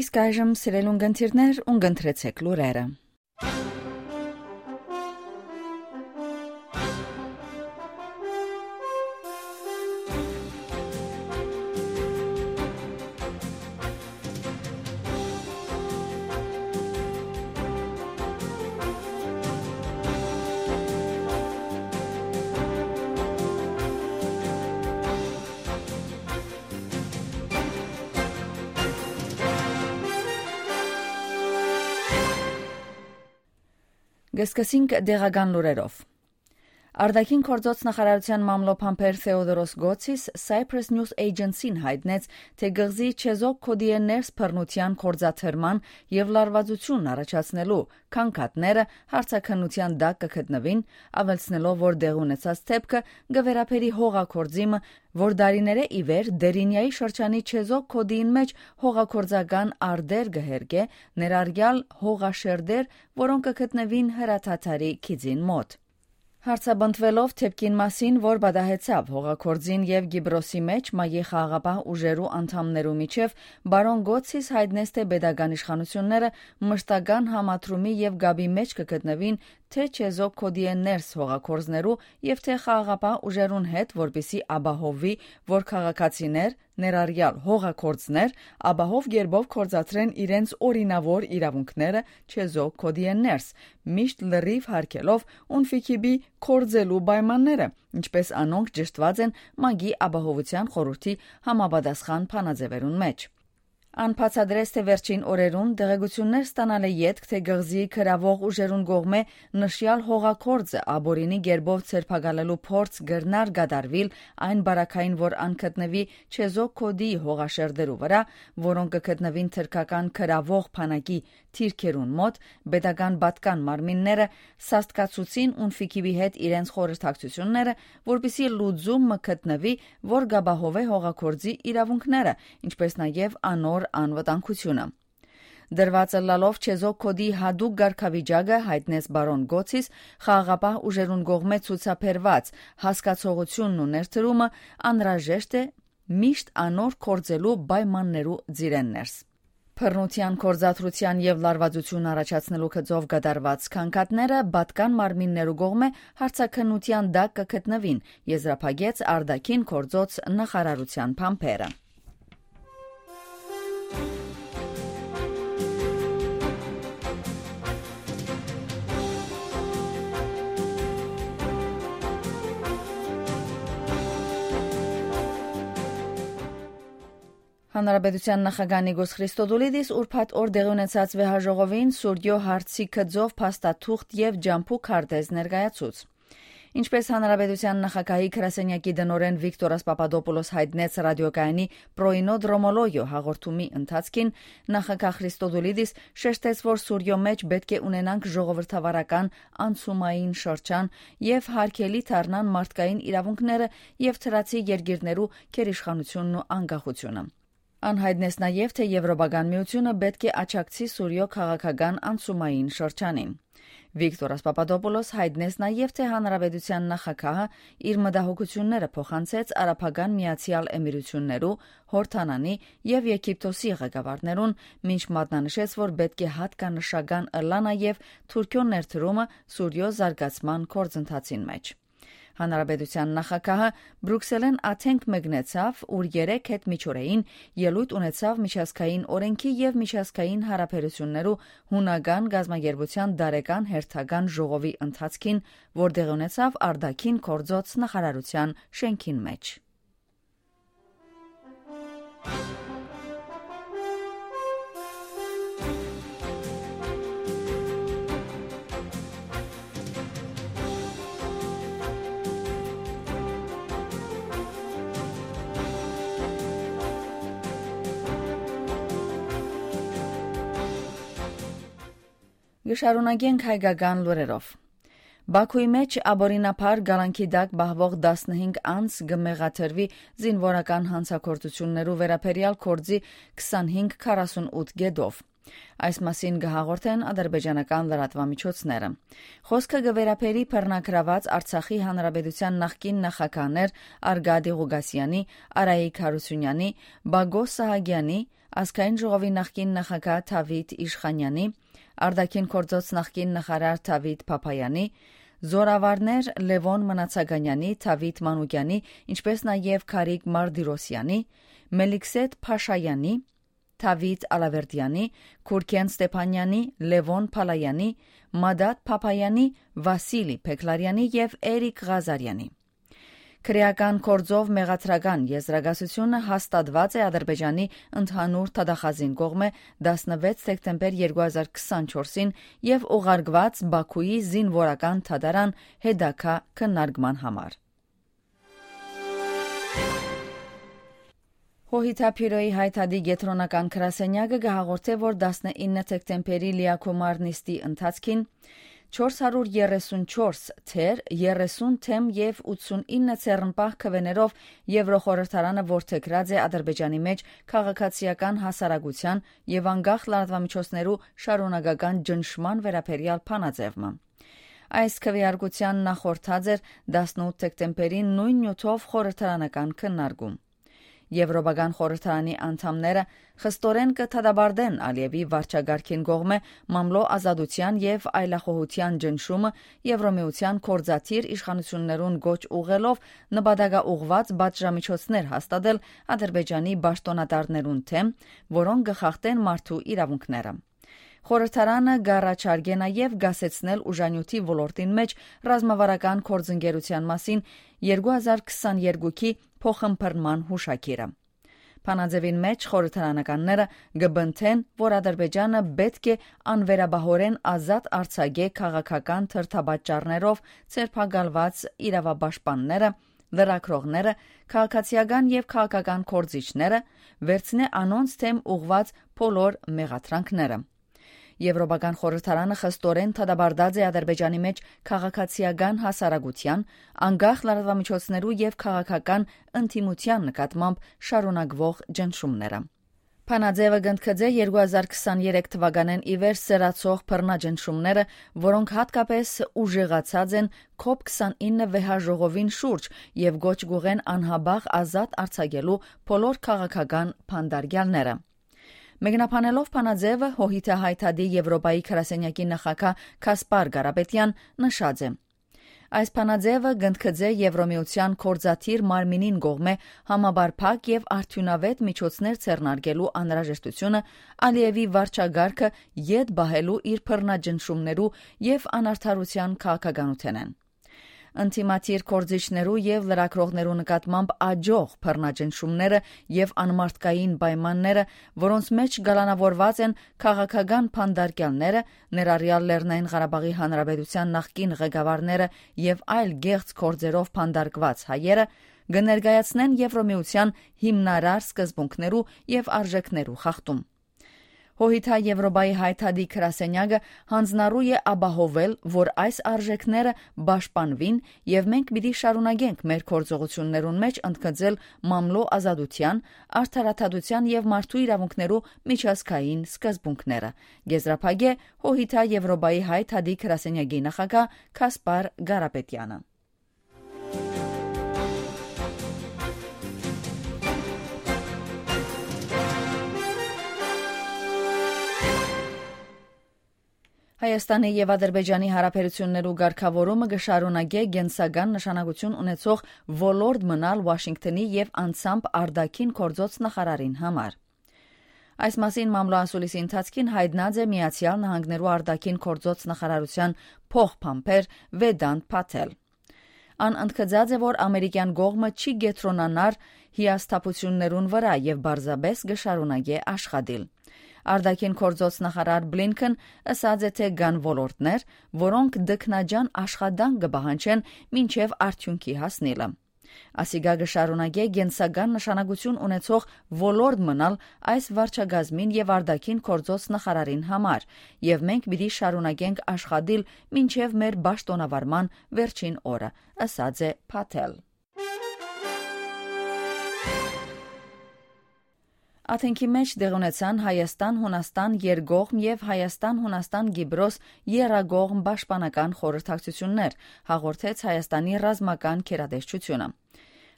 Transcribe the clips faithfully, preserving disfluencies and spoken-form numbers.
Իսկ այժմ, սիրելի ունգընտիրներ, ունգընտրեցէք լուրերը։ Կը սկսենք տեղական լուրերով։ Արտաքին գործոց նախարարութեան մամլոյ փամփեր Թեոդորոս Գոցիս Cyprus News Agency-ին յայտնեց, թէ կղզի Չեզոք Քոդիէ ներս բռնութեան գործադրման եւ լարուածութիւն առաջացնելու գանգատները հարցաքննութեան տակ կը գտնուին, աւելցնելով, որ տեղի ունեցած դէպքը կը վերաբերի հողագործի մը, որ տարիներէ ի վեր Տերինիայի շրջանի Չեզոք Քոդիին մէջ հողագործական արտեր կը հերկէ, ներառեալ հողաշերտեր, որոնք կը գտնուին հրադադարի գիծին մօտ։ Հարցապնդուելով դէպքին մասին, որ պատահեցաւ հողագործին եւ Կիպրոսի մէջ ՄԱԿ-ի խաղաղապահ ուժերու անդամներու միջեւ, պարոն Գոցիս յայտնեց, թէ պետական իշխանութիւնները մշտական համադրումի եւ կապի մէջ կը գտնուին թէ Չեզոք Քոդիէ ներս հողագործներու եւ թէ խաղաղապահ ուժերուն հետ, որպէսզի ապահովուի, որ քաղաքացիներ, ներառեալ հողագործներ, ապահով կերպով գործադրեն իրենց օրինաւոր իրաւունքները Չեզոք Քոդիէ ներս, միշտ լրիւ յարգելով ունֆիքիպի գործելու պայմանները, ինչպես անոնք ճշդուած են ՄԱԿ-ի Ապահովութեան խորհուրդի համապատասխան բանաձեւերուն մէջ։ Ան բացատրեց, թէ վերջին օրերուն տեղեկութիւններ ստանալէ ետք, թէ կղզիի գրաւող ուժերուն կողմէ նշեալ հողագործը ապօրինի կերպով ձերբակալելու փորձ կրնար կատարուիլ այն պարագային, որ ան գտնուի Չեզոք Քոդիի հողաշերտերու վրայ, որոնք կը գտնուին թրքական գրաւող բանակի դիրքերուն մօտ, պետական պատկան մարմինները սաստկացուցին ունֆիքիպի հետ իրենց խորհրդակցութիւնները, որպէսզի լուծում մը գտնուի, որ կ'ապահովէ հողագործի իրաւունքները, ինչպես նաեւ անոր անվտանգութիւնը։ Դրուած ըլլալով Չեզոք Քոդի յատուկ կարգավիճակը, յայտնեց պարոն Գոցիս, խաղաղապահ ուժերուն կողմէ ցուցաբերուած հասկացողութիւնն ու ներդրումը անհրաժեշտ է միշտ անոր գործելու պայմաններու ծիրէն ներս։ Բռնութեան գործադրութեան եւ լարուածութիւն առաջացնելու գծով կատարուած գանգատները պատկան մարմիններու կողմէ հարցաքննութեան տակ կը գտնուին, եզրափակեց արտաքին գործոց նախարարութեան բանբերը։ Հանրապետութեան նախագահ Նիկոս Խրիստոդուլիդիս ուրբաթ օր տեղի ունեցած վեհաժողովին Սուրիոյ հարցի գծով փաստաթուղթ եւ ճամբու քարտեզ ներկայացուց։ Ինչպես հանրապետութեան նախագահի գրասենյակի տնօրէն Վիկտորաս Պապադոպուլոս յայտնեց ռադիոկայանի Պրոյնո Դրոմոլոյո հաղորդումի ընթացքին, նախագահ Խրիստոդուլիդիս շեշտեց, որ Սուրիոյ մէջ պէտք է ունենանք ժողովրդավարական անցումային շրջան եւ յարգելի դառնան մարդկային իրաւունքները եւ դրացի երկիրներու գերիշխանութիւնն ու անկախութիւնը։ Ան յայտնեց նաեւ, թէ Եվրոպական միութիւնը պէտք է աջակցի Սուրիոյ քաղաքական անցումային շրջանին։ Վիկտորաս Պապադոպուլոս յայտնեց նաեւ, թէ հանրապետութեան նախագահը իր մտահոգութիւնները փոխանցեց Արաբական Միացեալ Էմիրութիւններու, Յորդանանի եւ Եգիպտոսի ղեկավարներուն, մինչ մատնանշեց, որ պէտք է յատկանշական ըլլայ նաեւ Թուրքիոյ ներդրումը Սուրիոյ զարգացման գործընթացին մէջ։ Հանրապետութեան նախագահը Բրուքսելէն Աթենք մեկնեցաւ, ուր երեկ հետ միջօրեին ելոյթ ունեցաւ միջազգային օրէնքի եւ միջազգային յարաբերութիւններու յունական կազմակերպութեան տարեկան հերթական ժողովի ընթացքին, որ տեղի ունեցաւ արտաքին գործոց նախարարութեան շէնքին մէջ։ Կը շարունակենք հայկական լուրերով։ Բաքուի մէջ ապօրինաբար կալանքի տակ պահուող տասնհինգ անձ կը մեղադրուի զինուորական հանցագործութիւններու վերաբերեալ գործի քսանհինգ քառասունութ կետով։ Այս մասին կը հաղորդեն ադրբեջանական լրատուամիջոցները։ Խօսքը կը վերաբերի բռնագրաւած Արցախի Հանրապետութեան նախկին նախագահներ Արգադի Ղուկասեանի, Արայիկ Հարությունեանի, Բագոս Սահակեանի, Ազգային ժողովի նախկին նախագահ Դավիթ Իշխանեանի, Արտաքին գործոց նախկին նախարար Դավիթ Փափայանի, զորավարներ Լեւոն Մնացականեանի, Դավիթ Մանուկեանի, ինչպէս նաեւ Գարիկ Մարտիրոսեանի, Մելիքսեթ Փաշայանի, Դավիթ Ալավերդեանի, Քուրքեն Ստեփանյանի, Լեւոն Փալայանի, Մադատ Փափայանի, Վասիլի Փեքլարյանի եւ Էրիկ Ղազարյանի։ Քրեական գործով մեղադրական եզրակացութիւնը հաստատուած է Ադրբեջանի ընդհանուր դատախազին կողմէ տասնվեց դեկտեմբեր երկու հազար քսանչորսին եւ ուղարկուած Բաքուի զինուորական դատարան հետագայ քննարկման համար։ Հոհիթա Բիւրոյի Հայ Դատի կեդրոնական գրասենեակը կը հաղորդէ, որ տասնինը դեկտեմբերի լիակումար նիստի ընթացքին չորս հարիւր երեսուն չորս թեր, երեսուն դէմ եւ ութսունինը ձեռնպահ քուէներով Եվրոխորհրդարանը որդեգրած է Ադրբեջանի մէջ քաղաքացիական հասարակութեան եւ անկախ լրատուամիջոցներու շարունակական ճնշման վերաբերեալ բանաձեւ մը։ Այս քվեարկութեան նախորդած էր տասնութ դեկտեմբերին նոյն նիւթով խորհրդարանական քննարկում։ Եվրոպական խորհրդարանի անդամները խստորեն կը դատապարտեն Ալիեւի վարչակարգին կողմէ մամլոյ ազատութեան եւ այլախոհութեան ճնշումը, Եվրոմիութեան գործադիր իշխանութիւններուն կոչ ուղղելով նպատակաուղղուած պատժամիջոցներ հաստատել Ադրբեջանի պաշտօնատարներուն դէմ, որոնք կը խախտեն մարդու իրաւունքները։ Խորհրդարանը կ'առաջարկէ նաեւ կասեցնել ուժանիւթի ոլորտին մէջ ռազմավարական գործընկերութեան մասին երկու հազար քսաներկուքի փոխըմբռնման յուշագիրը։ Բանաձեւին մէջ խորհրդարանականները կը պնդեն, որ Ադրբեջանը պէտք է անվերապահօրէն ազատ արձակէ քաղաքական դրդապատճառներով ձերբակալուած իրաւապաշտպանները, լրագրողները, քաղաքացիական եւ քաղաքական գործիչները, վերցնէ անոնց դէմ ուղղուած բոլոր մեղադրանքները։ Եվրոպական խորհրդարանը խստորեն դատապարտած է Ադրբեջանի մէջ քաղաքացիական հասարակութեան, անկախ լրատուամիջոցներու եւ քաղաքական ընդդիմութեան նկատմամբ շարունակուող ճնշումները։ Բանաձեւը կ'ընդգծէ երկու հազար քսաներեք թուականէն ի վեր սրացող բռնաճնշումները, որոնք յատկապես ուժեղացած են կոպ քսանինը վեհաժողովին շուրջ եւ կոչ կ'ուղղեն անհապաղ ազատ արձակելու բոլոր քաղաքական բանտարկեալները։ Մեկնաբանելով բանաձեւը, Հոհիթա Հայ Դատի Եվրոպայի գրասենյակի նախագահ Գասպար Կարապետեան նշած է. «Այս բանաձեւը կ'ընդգծէ Եվրոմիութեան գործադիր մարմինին կողմէ համապարփակ եւ արդիւնաւէտ միջոցներ ձեռնարկելու անհրաժեշտութիւնը Ալիեւի վարչակարգը ետ պահելու իր բռնաճնշումներու եւ անարդարութեան քաղաքականութենէն։ Ընդդիմադիր գործիչներու եւ լրագրողներու նկատմամբ աջող բռնաճնշումները եւ անմարդկային պայմանները, որոնց մէջ կալանաւորուած են քաղաքական բանտարկեալները, ներառեալ Լեռնային Ղարաբաղի Հանրապետութեան նախկին ղեկավարները եւ այլ կեղծ գործերով բանտարկուած հայերը, կը ներկայացնեն Եվրոմիութեան հիմնարար սկզբունքներու եւ արժեքներու խախտում»։ Հոհիթա Եվրոպայի Հայ Դատի գրասենյակը յանձնառու է ապահովել, որ այս արժեքները պաշտպանուին, եւ մենք պիտի շարունակենք մեր գործողութիւններուն մէջ ընդգծել մամլոյ ազատութեան, արդարադատութեան եւ մարդու իրաւունքներու միջազգային սկզբունքները, եզրափակէ Հոհիթա Եվրոպայի Հայ Դատի գրասենյակի նախագահ Գասպար Կարապետեանը։ Հայաստանի եւ Ադրբեջանի հարաբերութիւններու կարգաւորումը կը շարունակէ կենսական նշանակութիւն ունեցող ոլորտ մնալ Ուաշինկթոնի եւ անձամբ արտաքին գործոց նախարարին համար։ Այս մասին մամլոյ ասուլիսի ընթացքին յայտնած է Միացեալ Նահանգներու արտաքին գործոց նախարարութեան փոխբանբեր Վեդանտ Փաթել։ Ան ընդգծած է, որ ամերիկեան կողմը չի կեդրոնանար հիասթափութիւններուն վրայ եւ պարզապէս կը շարունակէ աշխատիլ։ Արտաքին գործոց նախարար Բլինքեն ըսած է, թէ կան ոլորտներ, որոնք տքնաջան աշխատանք կը պահանջեն մինչեւ արդիւնքի հասնիլը։ Ասիկա կը շարունակէ կենսական նշանակութիւն ունեցող ոլորտ մնալ այս վարչակազմին եւ արտաքին գործոց նախարարին համար, եւ մենք պիտի շարունակենք աշխատիլ մինչեւ մեր պաշտօնավարման վերջին օրը, ըսած է Փաթել։ Աթենքի մէջ տեղի ունեցան Հայաստան-Յունաստան երկկողմ եւ Հայաստան-Յունաստան-Կիպրոս եռակողմ պաշտպանական խորհրդակցութիւններ, հաղորդեց Հայաստանի ռազմական գերատեսչութիւնը։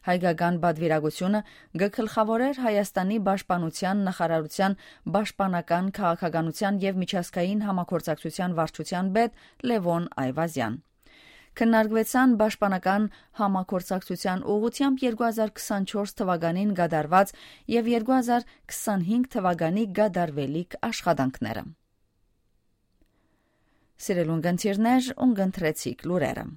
Հայկական պատվիրակութիւնը կը գլխաւորէր Հայաստանի պաշտպանութեան նախարարութեան պաշտպանական քաղաքականութեան եւ միջազգային համագործակցութեան վարչութեան պետ Լեւոն Այվազեան։ Քննարկուեցան պաշտպանական համագործակցութեան ուղղութեամբ երկու հազար քսանչորս թուականին կատարուած եւ երկու հազար քսանհինգ թուականի կատարուելիք աշխատանքները։ Սիրելի ունգընտիրներ, ունգընտրեցիք լուրերը։